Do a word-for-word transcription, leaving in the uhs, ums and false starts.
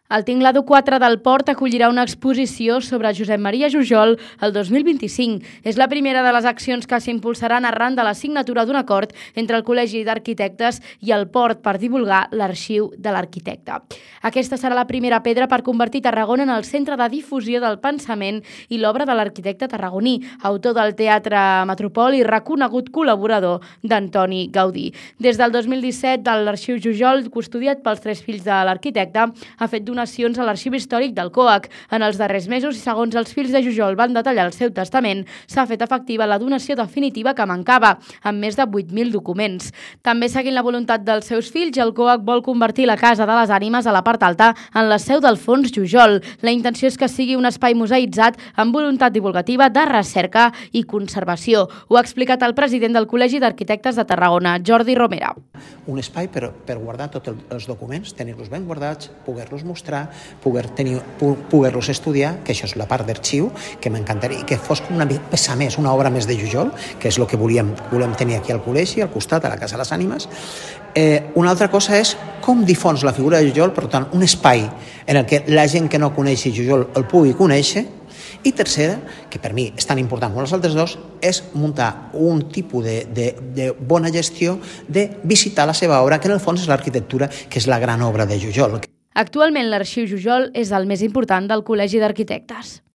El Tinglado quatre del Port acollirà una exposició sobre Josep Maria Jujol el dos mil vint-i-cinc. És la primera de les accions que s'impulsaran arran de la signatura d'un acord entre el Col·legi d'Arquitectes i el Port per divulgar l'arxiu de l'arquitecte. Aquesta serà la primera pedra per convertir Tarragona en el centre de difusió del pensament i l'obra de l'arquitecte tarragoní, autor del Teatre Metropol i reconegut col·laborador d'Antoni Gaudí. Des del dos mil disset, l'arxiu Jujol, custodiat pels tres fills de l'arquitecte, ha fet donacions a l'Arxiu Històric del COAC. En els darrers mesos, i segons els fills de Jujol van detallar el seu testament, s'ha fet efectiva la donació definitiva que mancava, amb més de vuit mil documents. També, seguint la voluntat dels seus fills, el COAC vol convertir la Casa de les Ànimes a la part alta en la seu d'Alfons Jujol. La intenció és que sigui un espai museïtzat amb voluntat divulgativa de recerca i conservació. Ho ha explicat el president del Col·legi d'Arquitectes de Tarragona, Jordi Romera. Un espai per, per guardar tots els documents, tenir-los ben guardats, poder-los mostrar, poder tenir, poder-los estudiar, que això és la part d'arxiu, que m'encantaria, que fos com una peça més, una obra més de Jujol, que és el que volíem, volem tenir aquí al col·legi, al costat, a la Casa de les Ànimes. Eh, una altra cosa és com difons la figura de Jujol, per tant, un espai en el que la gent que no coneixi Jujol el pugui conèixer. I tercera, que per mi és tan important com els altres dos, és muntar un tipus de, de, de bona gestió de visitar la seva obra, que en el fons és l'arquitectura, que és la gran obra de Jujol. Actualment, l'Arxiu Jujol és el més important del Col·legi d'Arquitectes.